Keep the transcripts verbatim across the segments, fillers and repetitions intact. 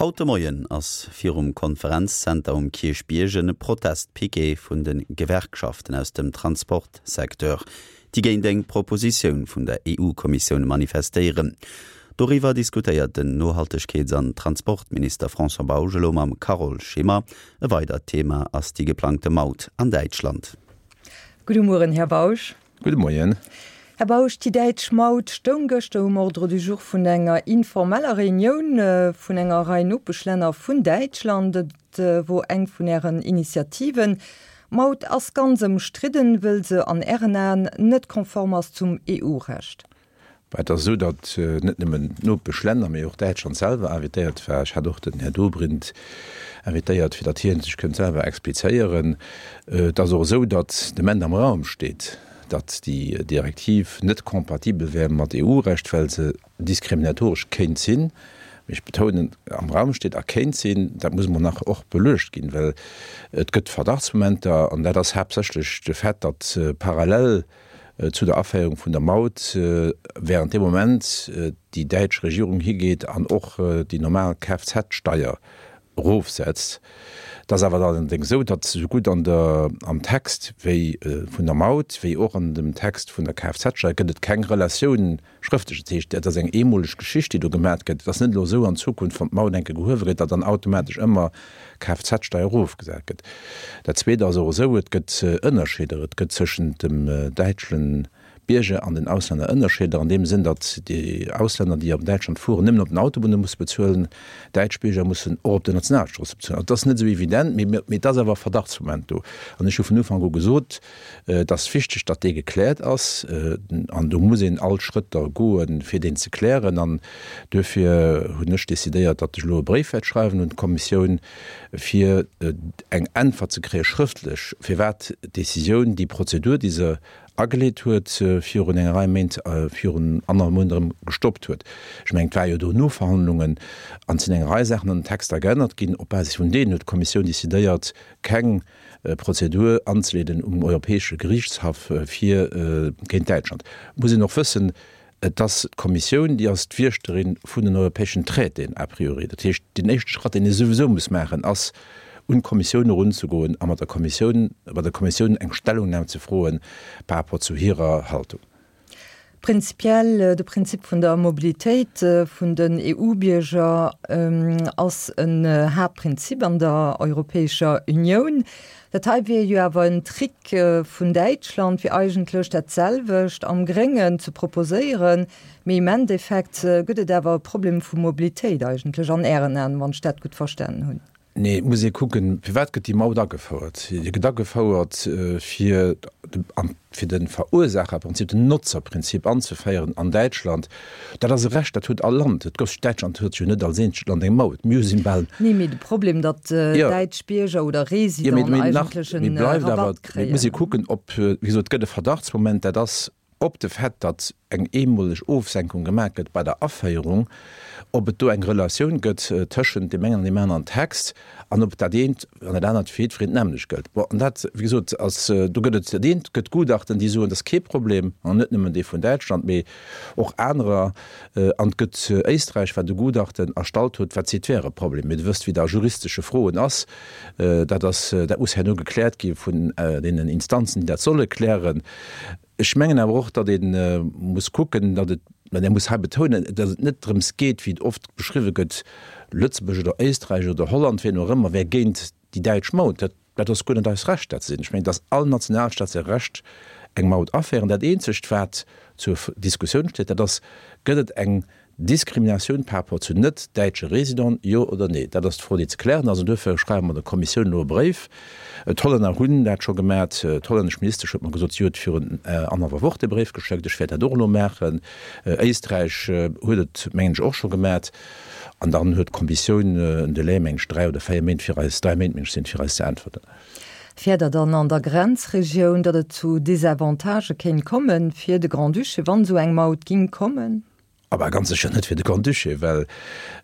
Haut de Moien ass virum Konferenzzenter um Kierchbierg e Protestpiquet vun de Gewerkschaften aus dem Transportsecteur, déi géint eng Propositioun vun der EU-Kommissioun manifestéieren. Doriwwer diskutéiert den Nohaltegkeets an Transportminister François Bausch elo mam Carole Schimmer. E weidert Thema ass déi geplangte Maut an Däitschland. Gudde Mueren, Här Bausch. Gudde Moien. Här Bausch, déi däitsch Maut stoung gëschter um Ordre du jour vun enger informeller Reunioun vun enger Rei Nopeschlänner vun Däitschland. Et wor eng vun Ären Initiativen. D'Maut ass ganz ëmstridden, wëll se an Ären Aen net konform ass zum EU-Recht. Et ass esou, datt net nëmmen d'Nopeschlänner, mee och Däitschland selwer invitéiert war. Ech hat och den Här Dobrindt invitéiert, fir datt hie sech kënnt selwer explizéieren. Et ass och esou, datt de Moment am Raum steet, datt déi Direktiv net kompatibel wär mat EU-Recht, well se diskriminatoresch kéint sinn. Mee ech betounen, am Raum steet a kéint sinn, dat muss emol nach och beluecht ginn, well et gëtt Verdachtsmomenter, an dat ass haaptsächlech de Fait, datt parallel zu der Aféierung vun der Maut während deem Moment déi däitsch Regierung higeet an och déi normal Kfz-Steier erofsetzt. Et ass awer allerdéngs esou, datt sougutt an der, am Text wéi vun der Maut wéi och an dem Text vun der Kfz-Steier gëtt et keng Relatioun schrëftlech. Dat heescht, dat ass eng eemoleg Geschicht, déi do gemat gëtt. Et ass net elo esou an Zukunft, wann d'Maut eng Kéier gehuewe gëtt, datt dann automatesch ëmmer d'Kfz-Steier erofgesat gëtt. Dat Zweet ass och esou, et gëtt Ënnerscheeder. Et gëtt tëschent dem däitschen Bierger an den Auslänner Ënnerscheeder an deem Sënn, datt déi Auslänner, déi an Däitschland fueren, nëmmen op den Autobunne musse bezuelen, däitsch Bierger mussen och op den Nationalstroosse bezuelen. Also et ass net esou evident, mee mee et ass awer e Verdachtsmoment do. An ech hu vun Ufank u gesot, et ass wichteg, datt dee gekläert ass, an do muss een all Schrëtter goen, fir deen ze klären. An duerfir hunn ech decidéiert, datt ech elo e Bréif wäert schreiwen un d'Kommissioun, fir eng Äntwert ze kréie schrëftlech, firwat d'Décisioun, déi Prozedur, déi se ageleet huet, virun enger Rei Méint, virun annerhallef Mount erëm gestoppt huet. Ech mengen, et war jo do Noverhandlungen an et sinn eng Rei Saachen an den Texter geännert ginn. Op Basis vun deenen huet d'Kommissioun decidéiert, keng Prozedur anzeleeden um Europäesche Geriichtshaff fir géint Däitschland. Et muss een och wëssen, Et ass d'Kommissioun, déi ass d'Wiechterin vun den europäeschen Traitéen a priori. Dat heescht, deen éischte Schratt, deen ee souwisou muss maachen, ass, un d'Kommissioun erunzegoen a mat der Kommissioun, bei der Kommissioun eng Stellungnahme ze froen par rapport zu hirer Haltung. Prinzipiell, de Prinzip vun der Mobilitéit vun den EU-Bierger ass en Haaptprinzip an der Europäescher Unioun. Dat hei wier jo awer en Trick vun Däitschland, fir eigentlech dat selwecht am Gréngen ze proposéieren. Mee im Endeffekt gëtt et awer e Problem vu Mobilitéit eigentlech an Ären Aen, wann ech dat gutt verstanen hunn. Nee, et muss ee kucken, firwat gëtt déi Maut agefouert? Déi gëtt agefouert, fir fir de Verursaacherprinzip, den Notzerprinzip anzeféieren an Däitschland. Dat ass e Recht, dat huet all Land. Et gouf, Däitschland huet jo net als eenzegt Land eng Maut. Mir si bal. Nee, mee de Problem, datt däitsch Bierger oder Residenten eigentlech e Rabatt kréien. Et muss ee kucken, ob, wéi gesot, et gëtt e Verdachtsmoment, dat ass op de Fait, datt eng eemoleg Ofsenkung gemaach gëtt bei der Aféierung, ob et do eng Relatioun gëtt tëschent deem engen an deem aneren Text an ob dat eent an dat anert fir jiddwereen d'nämmlecht gëllt. Bon, an dat, wéi gesot, ass, do gëtt et dat eent, gëtt Gutachten, déi soen, dat ass kee Problem, an net nëmmen dee vun Däitschland, mee och anerer, an et gëtt Éisträich, wat e Gutachten erstallt huet, wat seet, wär e Problem. Mee Der wësst, wéi et a juristesche Froen ass, dat ass, dat muss herno gekläert gi vun deenen Instanzen, déi dat solle klären. Ech mengen awer och, datt ee muss kucken, datt et, mä muss hei betounen, datt et net drëms geet, wéi et oft beschriwwe gëtt, Lëtzebuerg oder Éisträich oder Holland, wien och ëmmer, wär géint déi däitsch Maut. Dat, dat ass guer net eist Recht, dat ze sinn. Ech mengen, et ass all Nationalstaat säi Recht, eng Maut aféieren. Dat eenzegt, wat zur Diskussioun steet, dat ass, Gëtt et eng Diskriminatioun par rapport zu net däitsche Résidenten, jo oder nee? Dat ass d'Fro, déi ze klären ass. An duerfir schreiwe mer der Kommissioun elo e Bréif. D'Hollänner hunn dat scho gemat. D'hollännesch Ministesch huet mer gesot, si huet virun annerhallwer Woch dee Bréif geschéckt. Ech wäert dat och elo maachen. Éisträich huet et, mengen ech, och scho gemat. An dann huet d'Kommissioun en Delai, mengen ech, dräi oder véier Méint, fir eis, dräi Méint, mengen ech, sinn et, fir eis ze äntwerten. Fäert Der dann an der Grenzregioun, datt et zu Desavantagë kéint kommen fir de Grand-Duché, wann esou eng Maut ging kommen? Awer ganz sécher net fir de Grand-Duché, well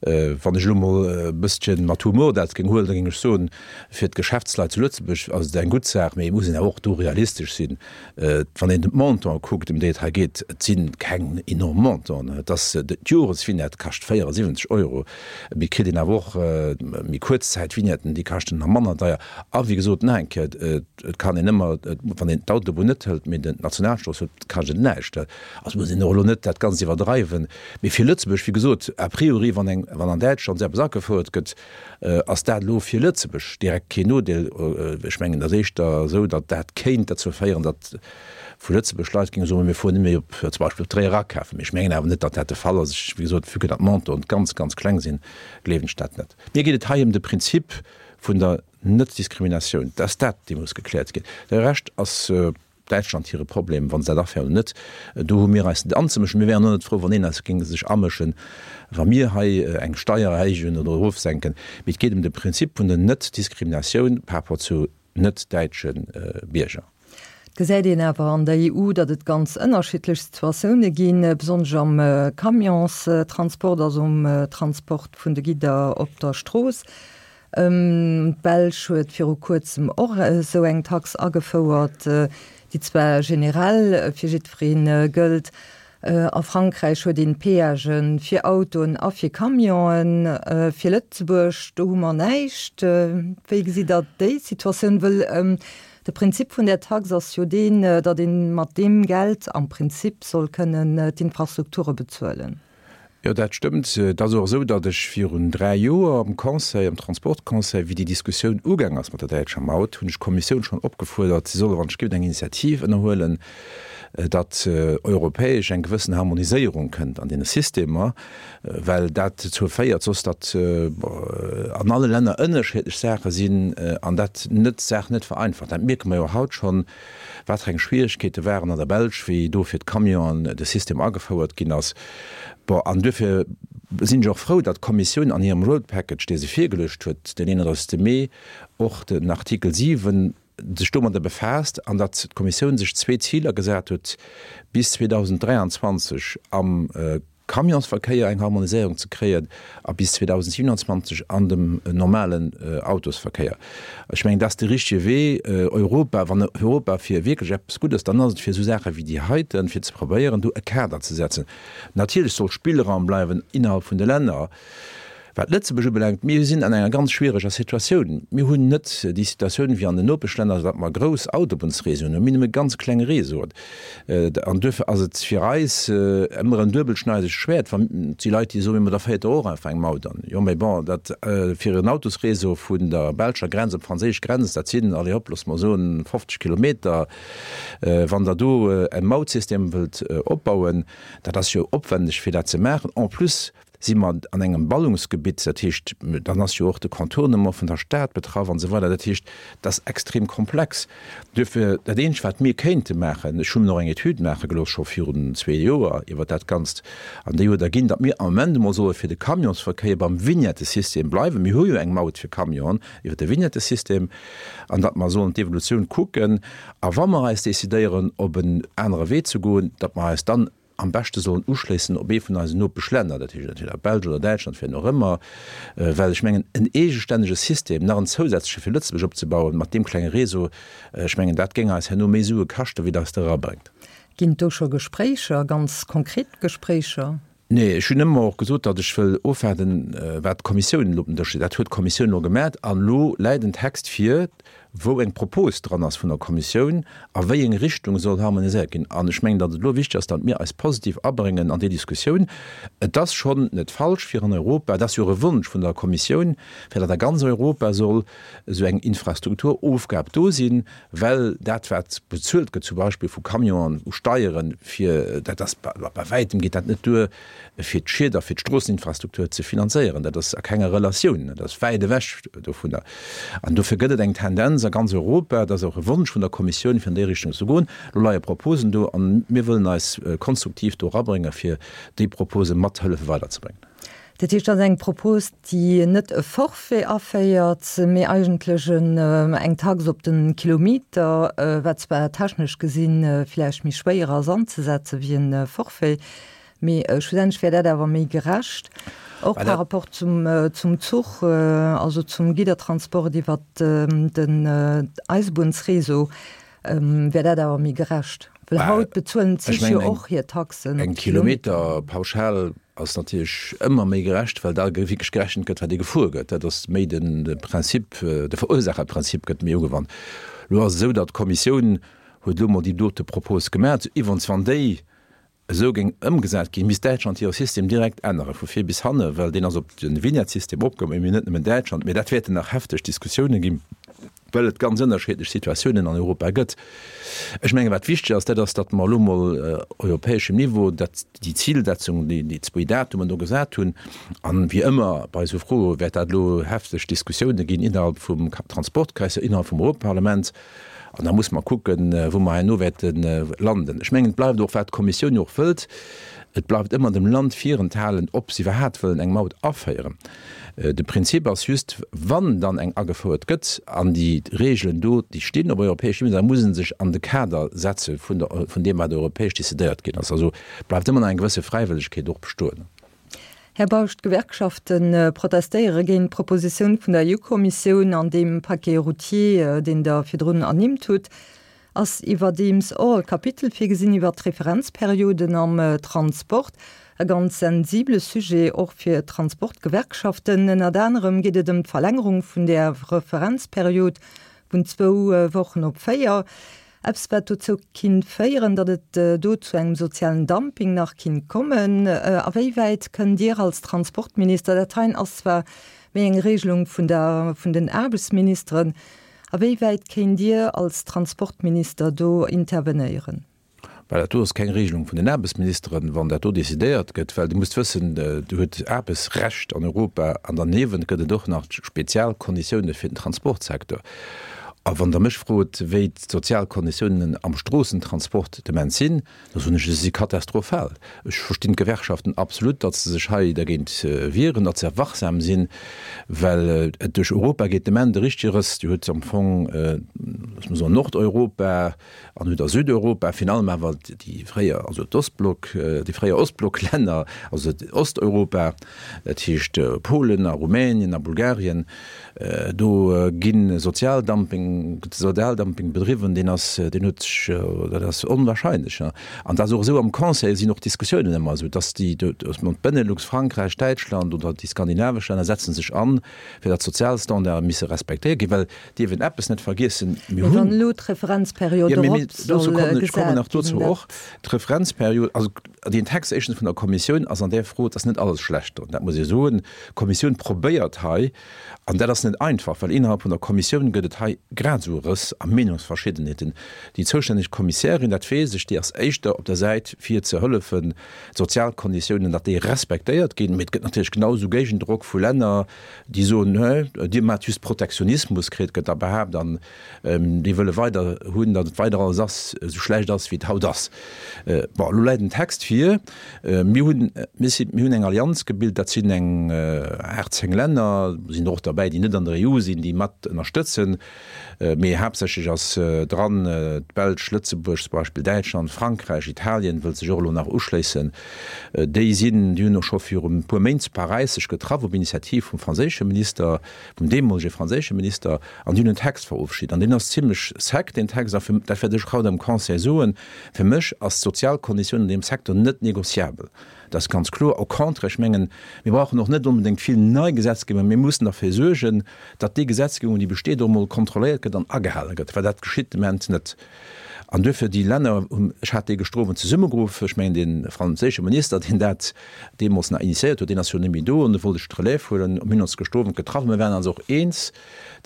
wann ech elo emol e bësschen mat Humor dat géing huelen, da géing ech soen, fir d'Geschäftsleit zu Lëtzebuerg ass et eng gutt Saach, mee et muss een awer och do realistesch sinn. Wann een de Montant kuckt, ëm déi et hei geet, et si keng enorm Montanten. Et ass, d'Joresvignette kascht véierasiwwenzeg Euro, mee et kritt een awer och méi kuerz Zäit-Vignetten, déi kaschten nach manner deier. A wéi gesot, nach eng Kéier, et kann een ëmmer, wann een d'Autobunn net hëlt, mee d'Nationalstrooss huet, kascht et näischt. Also muss een och elo net dat Ganzt iwwerdreiwen. Mee fir Lëtzebuerg, wéi gesot, a priori, wann eng, wann an Däitschland esou eppes agefouert gëtt, ass dat elo fir Lëtzebuerg direkt keen Nodeel. Ech mengen, et ass éischter esou, datt dat kéint derzou féieren, datt vu Lëtzebuerg Leit géinge soen, mir fueren net méi op, zum Beispill op Tréier akafen. Mee ech mengen awer net, datt dat de Fall ass. Ech, wéi gesot, vue que datt d'Montanten ganz, ganz kleng sinn, gleewen ech dat net. Mir geet et hei ëm de Prinzip vun der Netdiskriminatioun. Dat ass dat, dee muss gekläert ginn. De Rescht ass Däitschland hire Problem, wa se dat aféieren oder net. Do hu mir eis net anzemëschen. Mir wären och net frou, wann een eis géing sech amëschen, wa mir hei eng Steier erhéijen oder erofsenken. Mee et geet ëm de Prinzip vun der Netdiskriminatioun par rapport zu net-däitsche Bierger. Et gesäit een awer an der E U, datt et ganz ënnerschiddlech Situatioune ginn, besonnesch am Camionstransport, also um Transport vun de Gidder op der Strooss. D'Belsch huet viru kuerzem och esou eng Tax agefouert, déi zwar generell fir jiddweree gëllt. A Frankräich huet een Peagen fir Autoen a fir Camionen. Fir Lëtzebuerg, do hu mer näischt. Wéi gesitt Der déi Situatioun? Wëll de Prinzip vun där Tax ass jo deen, datt ee mat deem Geld am Prinzip soll kënnen d'Infrastrukture bezuelen. Jo, dat stëmmt. Et ass och esou, datt ech virun dräi Joer am Conseil, am Transportconseil, wéi déi Diskussioun ugaang ass mat der däitscher Maut, hunn ech d'Kommissioun schonn opgefuerdert, si solle wann ech géif eng Initiativ ënnerhuelen, datt europäesch eng gewëssen Harmoniséierung kënnt an deene Systemer, well dat dozou féiert soss, datt an alle Länner ënnerscheedlech Saache sinn an dat net d'Saach net vereinfacht. Dat mierke mer jo haut schonn, wat fir eng Schwierigkeete waren an der Belsch, wéi do fir d'Camionen de System agefouert ginn ass. Bon, an duerfir sinn ech och frou, datt d'Kommissioun an hirem Road Package, dee se virgeluecht huet den eenunddreißegste Mee, och den Artikel siwen sech domadder befaasst an datt d'Kommissioun sech zwee Ziler gesat huet, bis zweedausenddräianzwanzeg am Camionsverkéier eng Harmoniséierung ze kréien a bis zweedausendsiewenundzwanzeg an dem normalen Autosverkéier. Ech mengen, dat ass de richtige Wee. Europa, wann Europa fir wierklech eppes gutt ass, dann ass et fir esou Saache wéi déi heiten, fir ze probéieren, do e Kader ze setzen. Natierlech soll Spillraum bleiwen innerhalb vun de Länner. Wat Lëtzebuerg ubelaangt, mir sinn an enger ganz schwiereger Situatioun. Mir hunn net déi Situatioun wéi an den Nopeschlänner, datt mer grouss Autobunnsréseauen hunn. Mir hunn nëmme ganz kleng Réseauen. An duerfir ass et fir eis ëmmer en duebelschneidegt Schwäert, wa si Leit, déi soen, ma da féiert Der och einfach eng Maut an. Jo, mä bon, dat fir en Autosréseau vun der belscher Grenz op d'franséisch Grenz, dat sinn, allez hop, loosse mer soen, fofzeg Kilometer. Wann Der do e Mautsystem wëllt opbauen, dat ass jo opwendeg, fir dat ze maachen. En plus si mer an engem Ballungsgebitt, dat heescht, dann ass jo och de Contournement vun der Stad betraff an esou weider. Dat heescht, dat ass extrem komplex. Duerfir, dat eenzegt, wat mir kéinte maachen, ech hu mir och eng Etüd maache gelooss scho virun zwee Joer iwwert dat Ganzt, an déi huet erginn, datt mir am Moment emol solle fir de Camionsverkéier beim Vignettesystem bleiwen. Mir hu jo eng Maut fir Camionen iwwert de Vignettesystem, an datt mer sollen d'Evolutioun kucken, a wa mer eis decidéieren, op en anere Wee ze goen, datt mer eis dann am beschte sollen uschléissen op ee vun eisen Nopeschlänner, dat heescht entweder Belsch oder Däitschland, wien och ëmmer, well ech mengen, en eegestännege System, nach en zousätzleche fir Lëtzebuerg opzebauen, mat deem klenge Réseau, ech mengen, dat géing eis herno méi Sue kaschten, wéi dat eis der erabréngt. Ginn et do scho Gespréicher, ganz konkret Gespréicher? Nee, ech hunn ëmmer och gesot, datt ech wëll ofwaarden, wat d'Kommissioun elo op den Dësch leet. Dat huet d'Kommissioun elo gemat an elo läit en Text vir, wou eng Propos dran ass vun der Kommissioun, a wéi eng Richtung soll harmoniséiert ginn. An ech mengen, datt et elo wichteg ass, datt mir eis positiv abréngen an déi Diskussioun. Et ass schonn net falsch, fir an Europa, et ass jo och e Wonsch vun der Kommissioun, fir datt a ganz Europa soll esou eng Infrastrukturofgab do sinn, well dat wat bezuelt gëtt zum Beispill vu Camionen u Steieren, fir dat ass bei wäitem geet dat net duer fir d'Schied a fir d'Stroosseninfrastruktur ze finanzéieren. Dat ass a kenger Relatioun, dat ass wäit ewech dovunner. An dofir gëtt et eng Tendenz a ganz Europa, dat ass och e Wonsch vun der Kommissioun, fir an déi Richtung ze goen. Elo leie Proposen do a mir wëllen eis konstruktiv do erabréngen, fir déi Propose mat hëllefe weiderzebréngen. Dat heescht, dat ass eng Propos, déi net e Forfait aféiert, mee eigentlech eng Tax op de Kilometer, wat zwar technesch gesi vläicht méi schwéier ass anzesetze wéi e Forfait, Mee schlussendlech wär dat awer méi gerecht, och par rapport zum, zum Zuch, also zum Giddertransport iwwert den Eisebunnsréseau, wär dat awer méi gerecht. Well haut bezuelen d'Zich jo och hir Taxen op Eng d'Kilometer. Kilometerpauschal ass natierlech ëmmer méi gerecht, well da wierklech gerechent gëtt, wat ee gefuer gëtt. Dat ass méi den Prinzip, de Verursacherprinzip gëtt méi ugewannt. Elo ass et esou, datt d'Kommissioun huet elo mol déi dote Propos gemaach. Iwwerens, wann déi esou géing ëmgesat ginn, misst Däitschland hire System direkt ännere vu vir bis hanne, well deen ass op de Vignette-System opgebaut, mee net nëmmen Däitschland. Mee dat wäerten nach hefteg Diskussioune ginn, well et ganz ënnerscheedlech Situatiounen an Europa gëtt. Ech mengen, wat wichteg ass, dat ass, datt mer elo mol europäeschem Niveau dat, déi Zilsetzung, déi, déi zwee Datumen do gesat hunn. An wéi ëmmer bei esou Froe wäert dat elo hefteg Diskussioune ginn innerhalb vum Transportkreis, innerhalb vum Europaparlament. An da muss mer kucken, wou mer herno wäerte landen. Ech mengen, et bleift och, wat d'Kommissioun jo och wëllt, et bleift ëmmer dem Land virenthalen, ob se iwwerhaapt wëllen eng Maut aféieren. De Prinzip ass just, wann dann eng agefouert gëtt an déi Regeln do, déi stinn op europäeschem Niveau, da muss e sech an de Kader setze vun der, vun deem, wat europäesch decidéiert ginn ass. Also bleift ëmmer nach eng gewësse Fräiwëllegkeet och bestoen. Här Bausch, d'Gewerkschafte protestéiere géint d'Propositioun vun der E U-Kommissioun an deem Paquet routier, deen Der virdrun ernimmt hutt, ass iwwerdeems och e Kapitel virgesinn iwwert d'Referenzperioden am Transport. E ganz sensibele Sujet och fir d'Transportgewerkschaften. Ënnert anerem geet et ëm d'Verlängerung vun där Referenzperiod vun zwou Wochen op véier. Eppes wat dozou kinnt féieren, datt et do zu engem sozialen Dumping nach kinnt kommen. A wéi wäit kënnt Dir als Transportminister, dat heien ass zwar méi eng Regelung vun der, vun den Aarbechtsministeren, a wéi wäit kéint Dir als Transportminister do intervenéieren? Well dat do ass keng Regelung vun den Aarbechtsministeren, wann dat do decidéiert gëtt, well Dir musst wëssen, Dir hutt Aarbechtsrecht an Europa an derniewent gëtt et och nach spezial Konditiounen fir den Transportsecteur. A wann Der mech frot, wéi d'sozial Konditiounen am Stroossentransport de Moment sinn, da soen ech, se si katastrophal. Ech verstinn d'Gewerkschaften absolut, datt se sech hei dergéint wieren, datt se wachsam sinn, well et duerch Europa geet de Moment e richtege Rëss. Dir hutt am Fong, loosse mer soen, Nordeuropa an hutt Der Südeuropa, virun allem awer déi fréier, also d'Ostblock, déi fréier Ostblocklänner, also Osteuropa, dat heescht Polen a Rumänien a Bulgarien, Do gi Sozialdumping, gëtt Sozialdumping bedriwwen, deen ass, deen huet sech, dat ass onwahrscheinlech. An dat ass och esou am Conseil sinn och d'Diskussiounen ëmmer esou, datt déi, datt man d'Benelux, Frankräich, Däitschland oder déi skandinavesch Länner setzen sech an, fir datt d'Sozialstandarde misse respektéiert ginn, well dierf een eppes net vergiessen, mir Mee wann hunn, elo d'Referenzperiod jo, mee, mee erop soll dozou kommen ech, ech kommen gesat nach ginn, dozou och, dat. D'Referenzperiod, also deen Text éischtens vun der Kommissioun ass an där Fro, et ass net alles schlecht drun, dat muss ee soen. D'Kommissioun probéiert hei, An dat ass net einfach, well innerhalb vun der Kommissioun gëtt et hei grad esou Rëss a Meenungsverschiddenheeten. Déi zoustänneg Kommissärin, dat weess ech, déi ass éischter op der Säit fir ze hëllefen, d'sozial Konditiounen, datt déi respektéiert ginn. Mee et gëtt natierlech genau esou Géigendrock vu Länner, déi soen, Hä, Dir maacht just Protektionismus, kritt, gëtt da behaapt, an déi wëlle weider hunn, datt et weider alles ass, esou schlecht ass, wéi et haut ass. Bon, elo läit en Text vir. Mir hunn, mir si, mir hunn eng Allianz gebilt, dat sinn eng aacht, zéng Länner, do sinn der och derbäi, déi net an der E U sinn, déi mat ënnerstëtzen, mee haaptsächlech ass dran d'Belsch, Lëtzebuerg zum Beispill, Däitschland, Frankräich, Italien wëllt sech och elo nach uschléissen. Déi sinn, déi hunn och scho viru e puer Méint zu Paräis sech getraff op Initiativ vum franséische Minister, vum deemolege franséische Minister, an déi hunn en Text verofschied. An deen ass zimlech sec, deen Text, a fir, dat wäert ech och haut am Conseil soen, fir mech ass d'sozial Konditioun an deem Secteur net négociabel. Dat ass ganz kloer. Au contraire, ech mengen, mir brauchen och net onbedéngt vill nei Gesetzgebung, mä mir mussen derfir suergen, datt déi Gesetzgebung, déi besteet, och emol kontrolléiert gëtt an agehale gëtt, well dat geschitt de Moment net. An duerfir, déi Länner hunn, ech hat déi gëschter Owend zesummegeruff, ech mengen, dee franséische Minister, deen dat deemools nach initiéiert huet, deen ass jo net méi do, an do wollt ech d'Relève huelen, mir hunn ons gëschter Owend getraff, mir waren eis och eens,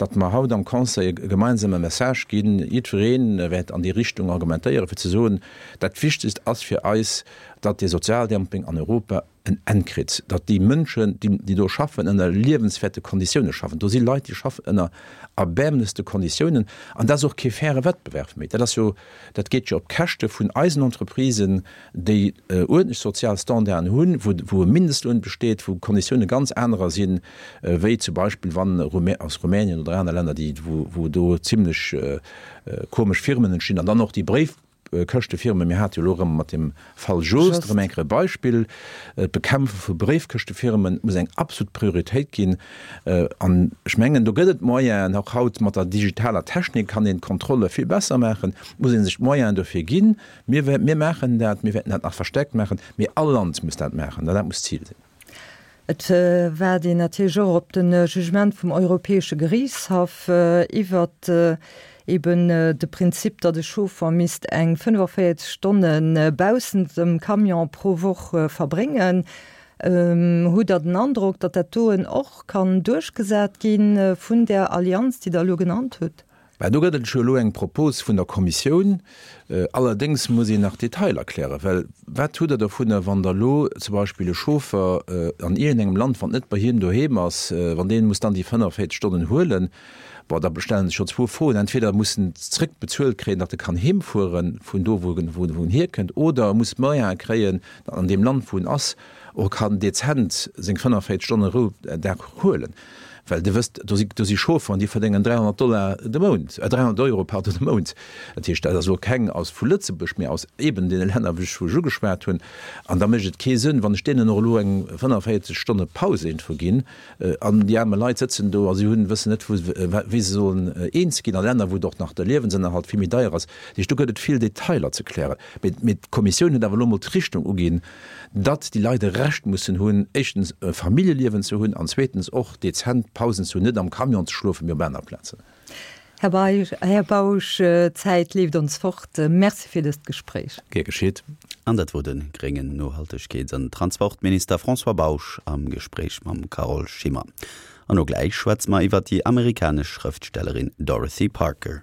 datt mer haut am Conseil e gemeinsame Message ginn, jiddweree wäert an déi Richtung argumentéieren, fir ze soen, dat Wichtegst ass fir eis, datt dee Sozialdumping an Europa en Enn kritt, datt déi Mënschen, déi do schaffen, ënner liewenswäerte Konditioune schaffen. Do si Leit, déi schaffen ënner erbäermlechste Konditiounen, an dat ass och kee faire Wettbewerb méi. Dat ass jo, dat geet jo op Käschte vun eisen Entreprisen, déi uerdentlech sozial Standarden hunn, wou, wou e Mindestloun besteet, wou d'Konditioune ganz anerer sinn, wéi zum Beispill wann aus Rumänien oder aner Länner, déi, wou, wou do zimlech komesch Firmen entstinn an dann och déi Bréif, Bréifkëschtefirmen, mir hate jo elo erëm mat deem Fall Jost erëm eng Kéier e Beispill, d'Bekämpfe vu Bréifkëschtefirmen muss eng absolut Prioritéit ginn. An ech mengen, do gëtt et Moyenen, och haut mat der digitaler Technik kann een d'Kontrolle vill besser maachen. Et muss ee sech d'Moyenen dofir ginn. Mir, mir maachen dat, mir wäerten dat nach verstärkt maachen, mee all Land muss dat maachen an dat muss d'Zil sinn. Et waart een natierlech och op de Jugement vum Europäesche Geriichtshaff iwwert eben de Prinzip, datt e Chauffer misst eng fënnefenvéierzeg Stonne baussent dem Camion pro Woch verbréngen. Hutt Der den Androck, datt dat doen och kann duerchgesat gi vun där Allianz, déi Der elo genannt hutt? Mä do gëtt et jo elo eng Propos vun der Kommissioun. Allerdéngs muss een nach d'Detailer klären, well wat hutt Der dovunner, wann Der elo zum Beispill e Chauffer an iergendengem Land, wann et net bei him doheem ass, wann dee muss dann déi fënnefenvéierzeg Stonnen huelen? Bon, da stellen sech jo zwou Froen, Entweder muss en zréckbezuelt kréien, datt e kann heemfuere vun do, wou en hierkënnt, oder e muss d'Moyene kréien, datt en an deem Land, wou en ass, och kann dezent seng fënnefenvéierzeg Stonne Roudag huelen. Well Dir wësst, do si, do si Chaufferen, déi verdéngen dräihonnert Dollar de Mount, äh, dräihonnert Euro, pardon, de Mount. Dat heescht, dat ass elo keng aus vu Lëtzebuerg, mee aus eeben deene Länner, wou ech, wou ech ugeschwat hunn. An da mécht et kee Sënn, wann ech deenen och elo eng fënnefenvéierzeg Stonne Paus iergendwou ginn, an déi aarme Leit sëtzen do a si hunn, wëssen net, wou, wéi se sollen eens ginn, a Länner, wou et och nach de Liewensënnerhalt vill méi deier ass. Dat heescht, do gëtt et vill Detailer ze klären. Mee, mee d'Kommissioun huet awer elo emol d'Richtung uginn, datt déi Leit e Recht mussen hunn, éischtens e Familljeliewen ze hunn an zweetens och dezent Pausen ze hunn, net am Camion ze schlofen, mee op aner Plazen. Här Bausch, Här Bausch, d'Zäit leeft ons fort. Merci fir dëst Gespréich. Gär geschitt. An dat wor de gréngen Nohaltegkeets an Transportminister François Bausch am Gespréich mam Carole Schimmer. An elo gläich schwätze mer iwwer déi amerikanesch Schrëftstellerin Dorothy Parker.